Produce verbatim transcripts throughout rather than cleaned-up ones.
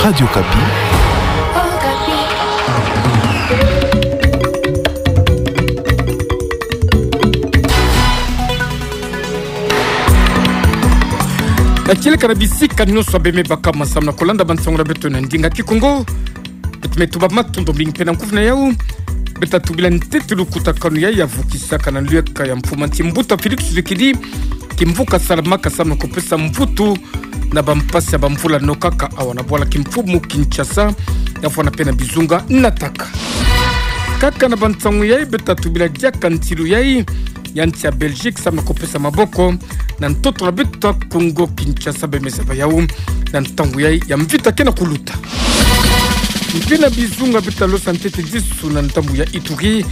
Radio Okapi. Kieleka na bisika nyonso bê me baka ma samu na kulanda bansangu na beto na ndinga Kikongo. Beto me tuba matondo mingi mpe na nkufi na yau. Beta tubila ntete lukutakanu ya, ya vukisaka na lueka ya mfumu ya nsi mbuta Félix Tshisekedi, kimvuka salamaka samu na kupesa mvutu na bampasi ya bamvula nokaka awa na bwala kimfumu Kinshasa, ya fwana mpe na bizunga nataka. Kaka na bansangu yai, beta tubila diaka ntilu yai ya nsi ya Belgique samu na kupesa maboko na ntoto na beto ya Kongo Kinshasa, bê me zaba yau na ntangu yai ya mvita ke na kuluta. Mpe na bizunga beta losa ntete disu na ndambu ya Ituri,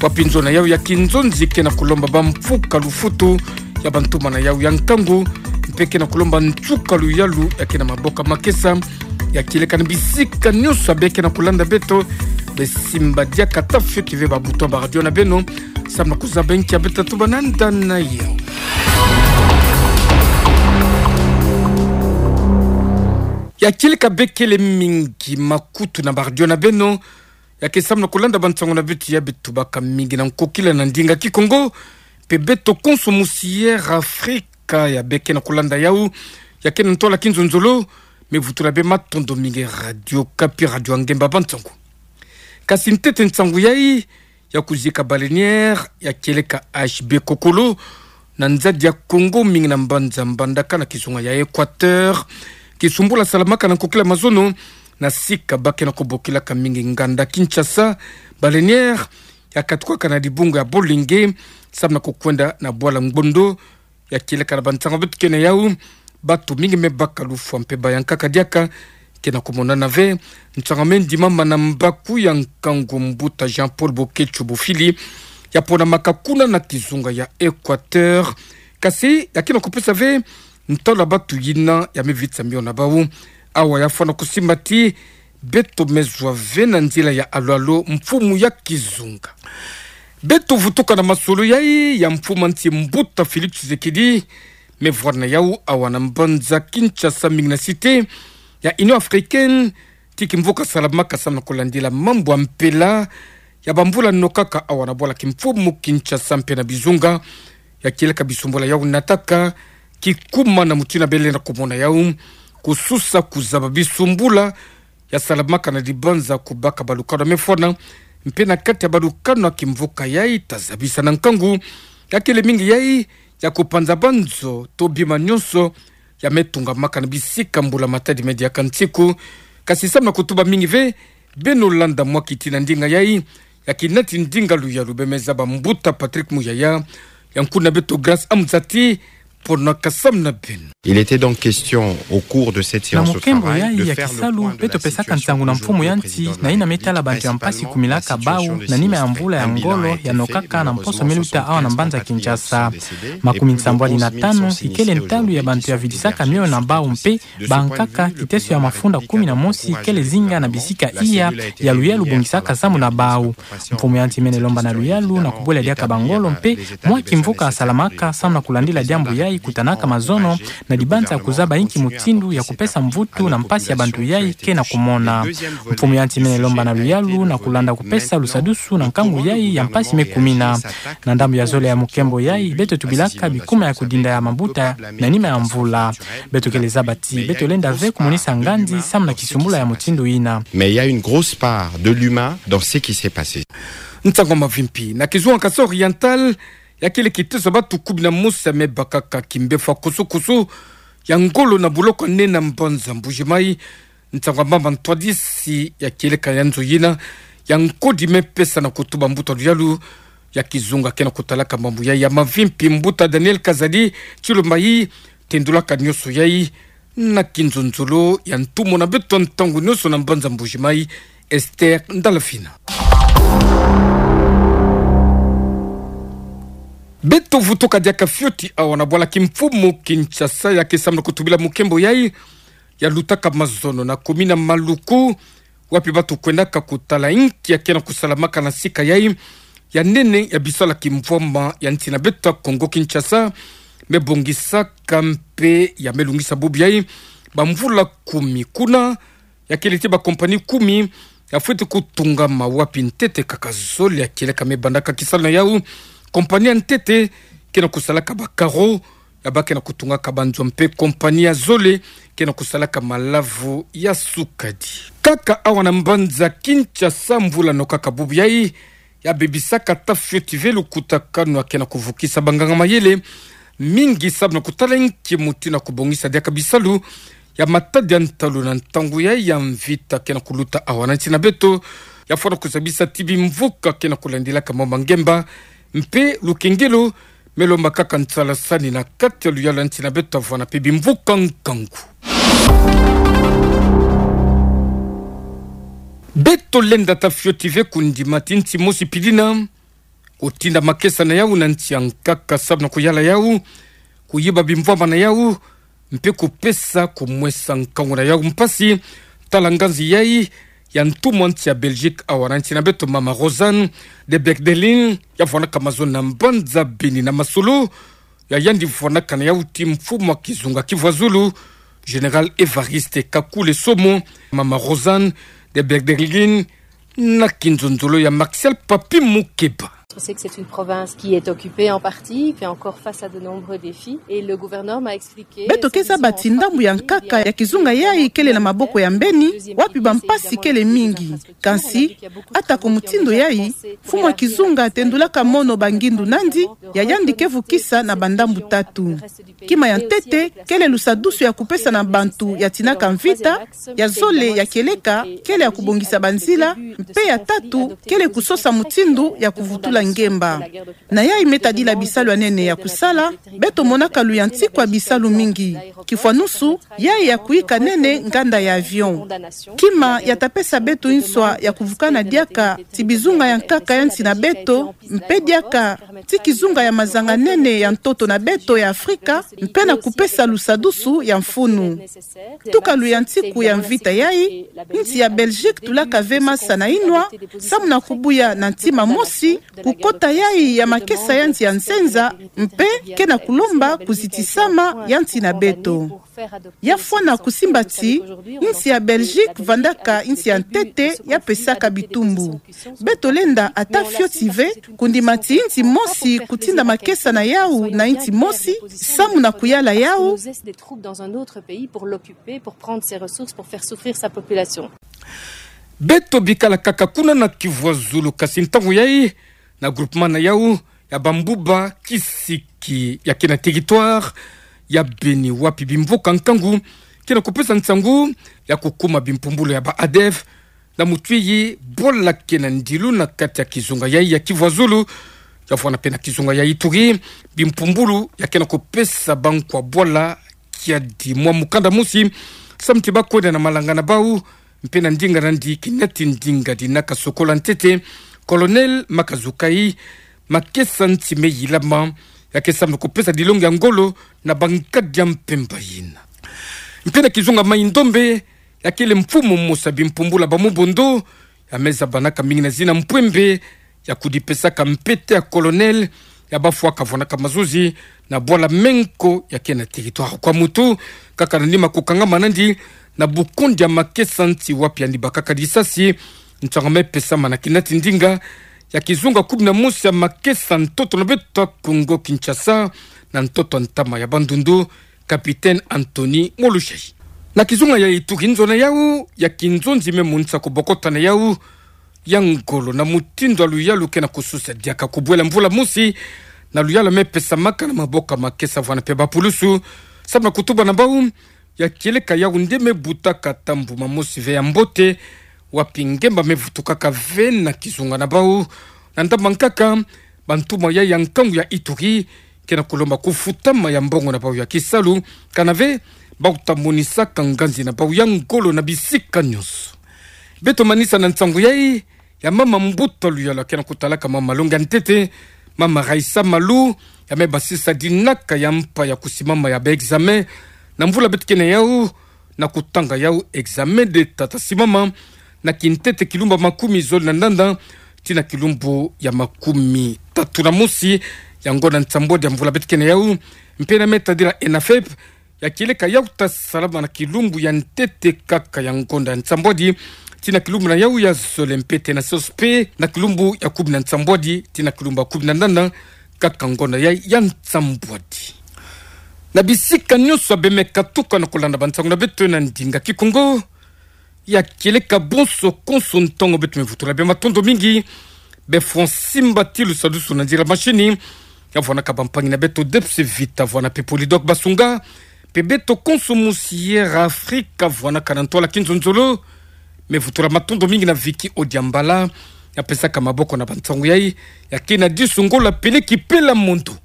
wapi nzo na yau ya kinzonzi ke na kulomba bamfuka lufutu ya bantuma na yau ya nkangu, mpe ke na kulomba nsuka luyalu ya ke na maboko makesa, ya kieleka na bisika nyonso bê ke na kulanda beto. Bê simba diaka ata fioti ve ba bouton ba radio na beno, samu na kuzaba nki ya beta tuba na nda na yau. Ya kieleka bê kele mingi makutu na ba radio na beno, ya ke samu na kulanda bansangu na beto ya bê tubaka mingi na nkokila na ndinga Kikongo, mpe beto konso musi Air Africa ya bê ke na kulanda yau, ya ke na ntola kinzonzolo, me vutula bê matondo mingi Radio Okapi, radio ya ngemba bansangu. Kasi ntete nsangu yai, ya kuzika baleinière ya kieleka H B Kokolo, na nzadi ya Kongo mingi na mbanza Mbandaka na kizunga ya Équateur, kisumbula salamaka na nkokila mazono, na sika ba ke na kubokilaka mingi nganda Kinshasa. Baleinière ya katukaka na dibungu ya Bolenge, samu na kukwenda na bwala Ngondo, ya kieleka na bansangu beto ke na yau, bato mingi me baka lufwa mpe bayankaka diaka, ke na kumonana ve. Nsanga me ndimama na mbaku ya nkangu mbuta Jean-Paul Boketsho Bofili, ya ponamaka kuna na kizunga ya Équateur. Kasi ya ke na kupesa ve ntalu ya bato yina ya me vitisa mio na bau. Awa ya fwana kusimba ti beto me zwa ve na nzila ya alo-alo mfumu ya kizunga. Beto vutuka na masolo yai ya mfumu ya nsi mbuta Félix Tshisekedi, me vwari na yau awa na mbanza Kinshasa mingi na cité ya Union Africaine, ti kimvuka salamaka samu na kulandila mambu ya mpela ya bamvula nokaka awa na bwala kimfumu Kinshasa mpe na bizunga, ya kieleka bisumbula yau nataka, kikuma na mutindu ya bele na kumona yau, kususa kuzaba bisumbula ya salamaka na dibanza kubaka balukanu ya me fwana, mpe na kati ya balukanu ya kimvuka yai ta zabisa na nkangu, ya kele mingi yai ya kupanza banzo to bima nyonso ya me tungamaka na bisika mbula-matadi me diaka nsiku. Kasi samu na kutuba mingi ve, beno landa mwa kiti na ndinga yai, ya kinati ndinga luyalu bê me zaba mbuta Patrick Muyaya, ya nkuna beto Grâce Amzati, ponaka samu na beno. Il était donc question au cours de cette séance de travail de faire le point de la situation au niveau président de la République, ainsi que de la situation de ces étudiants de la Cité de la Liberté. Na mukembo yai ya kisalu, beto pesaka nsangu na mfumu ya nsi na yina me tala bantu ya mpasi kumilaka bau na nima ya mvula ya ngolo ya nokaka na mposo me luta awa na mbanza Kinshasa. Makumi nsambwadi na tanu ikele ntalu ya bantu ya vidisaka mioyo na bau mpe bankaka kiteso ya mafunda kumi na mosi ikele zinga na bisika iya ya luyalu bongisaka samu na bau. Mfumu ya nsi mene lomba na luyalu na kubwela diaka bangolo mpe mwa kimvuka salamaka samu na kulandila diambu yai kutanaka mazono na dibanza kuzaba inki mutindu ya kupesa mvutu na mpasi ya bantu yai ke na kumona. Mfumu ya nsi mene lomba na luyalu na kulanda kupesa lusadusu na nkangu yai ya mpasi me kumina. Na ndambu ya zole ya mukembo yai, beto tubilaka bikuma ya kudinda ya mabuta na nima ya mvula. Beto kele zaba ti beto lenda ve kumonisa nganzi samu na kisumbula ya mutindu yina. Mais il y a une grosse part de l'humain dans ce qui s'est passé. Nsangu mavimpi. Na kizunga Kasaï Oriental, ya kele kiteso ya batu kumi na mosi ya me bakaka kimbefu ya kusu-kusu ya ngolo na boloko nene na mbanza Mbuji-Mayi. Nsangu mama ntwadisi ya kieleka ya nzo yina ya nkodi me pesa na kutuba mbuta luyalu ya kizunga ke na kutalaka mambu yai ya mavimpi, mbuta Daniel Kazadi Tshilombayi, tendulaka nyonso yai na kinzonzolo ya ntumwa na beto ntangu nyonso na mbanza Mbuji-Mayi, Esther Ndalafina. Beto vutuka diaka fioti awa na bwala kimfumu Kinshasa, ya ke samu na kutubila mukembo yai ya lutaka mazono na komina Maluku, wapi batu kwendaka kutala inki ya ke na kusalamaka na sika yai ya nene ya bisalu ya kimvwama ya nsi na beto Kongo Kinshasa me bongisaka mpe ya me lungisa bubu yai bamvula kumi. Kuna ya kele ti ba compagnie kumi ya fweti kutungama wapi ntete kaka zole ya kieleka me bandaka kisalu na yau. Compagnie ya ntete ke na kusalaka ba carreaux, ya bake na kutungaka ba nzo, mpe compagnie ya zole ke na kusalaka malavu ya sukadi. Kaka awa na mbanza Kinshasa, mvula no kaka bubu yai ya bebisaka ata fioti ve lukutakanu ya ke na kuvukisa banganga-mayele mingi samu na kutala nki mutindu ya kubongisa diaka bisalu ya matadi ya ntalu na ntangu yai ya mvita ke na kuluta awa na nsi na beto. Ya fwana kuzabisa ti bimvuka ke na kulandilaka mambu ma ngemba mpe lukengelo me lombakaka nsalasani na kati ya luyalu ya nsi na beto, ya vwana mpe bimvuka nkangu. Beto lenda ata fioti ve kundima ti nsi mosi pili na kutinda makesa na yau na nsi ya nkaka samu na kuyala yau, kuyiba bimvwama na yau, mpe kupesa kumwesa nkangu na yau mpasi. Tala nganzi yai ya ntumwa nsi ya Belgique awa na nsi na beto, mama Rosanne de Berdelin, ya vwanaka mazono na mbanza Beni na masolo ya yandi vwanaka na yau ti mfumu ya kizunga Kivuazulu, Général Évariste Kakule Somo. Mama Rosanne de Berdelin na kinzonzolo ya Martial Papi Mukeba. On sait que c'est une province qui est occupée en partie, fait encore face à de nombreux défis, et le gouverneur m'a expliqué... Beto ke zaba ti ndambu ya nkaka ya kizunga yai kele na maboko ya mbeni, wapi bampasi kele mingi. Kansi, atako mutindu yai, mfumu ya kizunga atendulaka mono bangindu nandi, ya yandi ke vukisa na bandambu tatu. Kima ya ntete kele lusadusu ya kupesa na bantu ya tinaka mvita, ya zole ya kieleka kele ya kubongisa banzila, mpe ya tatu kele kusosa mutindu ya kuvutula ngemba. Na yai me tadila bisalu ya nene ya kusala, beto monaka luyantiku ya bisalu mingi. Kifwanusu, yai ya kuyika nene nganda ya avion. Kima ya ta pesa beto nswa ya kuvukana diaka ti bizunga ya nkaka ya nsi na beto, mpe diaka ti kizunga ya mazanga nene ya ntoto na beto ya Afrika, mpe na kupesa lusadusu ya mfunu. Tuka luyantiku ya mvita yai, nsi ya Belgique tulaka ve masa na inwa, samu na kubuya na ntima mosi kukota yai ya makesa ya nsi ya nzenza, mpe ke na kulomba kuzitisama ya nsi na beto. Ya fwana kusimba ti nsi ya Belgique vandaka nsi ya ntete ya pesaka bitumbu. Beto lenda ata fioti ve kundima ti nsi mosi kutinda makesa na yau na nsi mosi, samu na kuyala yau. Des troupes dans un autre pays pour l'occuper, pour prendre ses ressources, pour faire souffrir sa population. Beto bikala kaka kuna na Kivuazulu, kasi ntangu yai na groupement na yau ya Bambuba Kisiki ya ke na territoire ya Beni, wapi bimvuka nkangu ke na kupesa nsangu ya kukuma bimpumbulu ya ba ADF na mutuyi bwala ke na ndilu na kati ya kizunga yai ya Kivuazulu, ya vwana mpe na kizunga ya Ituri, bimpumbulu ya ke na kupesa bankwa bwala kiadi. Mwa mukanda mosi, samu ti bakwenda na malanga na bau, mpe na ndinga nandi, kinati ndinga dinaka sokola ntete, Colonel Makazukai, makesa nsi me yilama ya ke samu na kupesa dilongi ya ngolo na bankadi ya mpemba yina. Mpe na kizunga Mai-Ndombe, ya kele mfumu mosi ya bimpumbulu ya Bamubondo, ya me zabanaka mingi na zina Mpwembe, ya kudipesaka mpete ya colonel, ya bafwa kavwanaka mazozi na bwala menko ya ke na territoire. Kwa mutu, kaka na nima kukangama nandi na bukundi ya makesa nsi wapi yandi bakaka disasi, nsanga me pesama na kinati ndinga ya kizunga kumi na mosi ya makesa ntoto na beto ya Congo Kinshasa, na ntoto ntama ya Bandundu, Capitaine Anthony Molushai. Na kizunga ya Ituri, nzo na yau ya kinzonzi me monisa kubokota na yau ya ngolo na mutindu ya luyalu ke na kususa diaka kubwela mvula mosi, na luyalu me pesamaka na maboko ya makesa vwana mpe bapulusu, samu na kutuba na bau ya kieleka yau nde me butaka ata mbuma mosi ve ya mbote, wapi ngemba me vutukaka ve na kizunga na bau, na ndambu nkaka bantumwa yai ya nkangu ya Ituri ke na kulomba kufutama ya mbongo na bau ya kisalu, kana ve bau ta monisaka nganzi na bau ya ngolo na bisika nyonso. Beto manisa na nsangu yai ya mama mbuta luyalu ke na kutalaka mama malongi ya ntete, mama Raissa Malu, ya me basisa dinaka ya mpa ya kusimama ya ba examen na mvula beto ke na yau, na kutanga yau examen d'Etat ta simama na kintete kilumbu ya makumi zole na ndanda tii na kilumbu ya makumi tatu na mosi ya ngonda nsambwadi ya mvula beto ke na yau. Mpe na me tadila ENAFEP, ya kieleka yau ta salama na kilumbu ya ntete kaka ya ngonda ya nsambwadi, tii na kilumbu na yau ya zole mpe te na sosi mpe na kilumbu ya kumi na nsambwadi tii na kilumbu ya kumi na nana kaka ngonda ya, ya nsambwadi. Na bisika nyonso ya bemeka tuka na kolanda bansangu na beto na ndinga Kikongo, ya kieleka bonso konso ntangu beto mevutula bia matondo mingi, be Francis Mbatilu Sadusu na nzila mashini, ya vwanaka bampangi na beto Debs Vita, vwana mpe Polydor Basunga, mpe beto konso musi Air Afrika, vwanaka na ntwala kinzonzolo, mevutula matondo mingi na Vicky Odiambala, ya pesaka maboko na bansangu yai, ya kena disu ngola peleki pela mondo.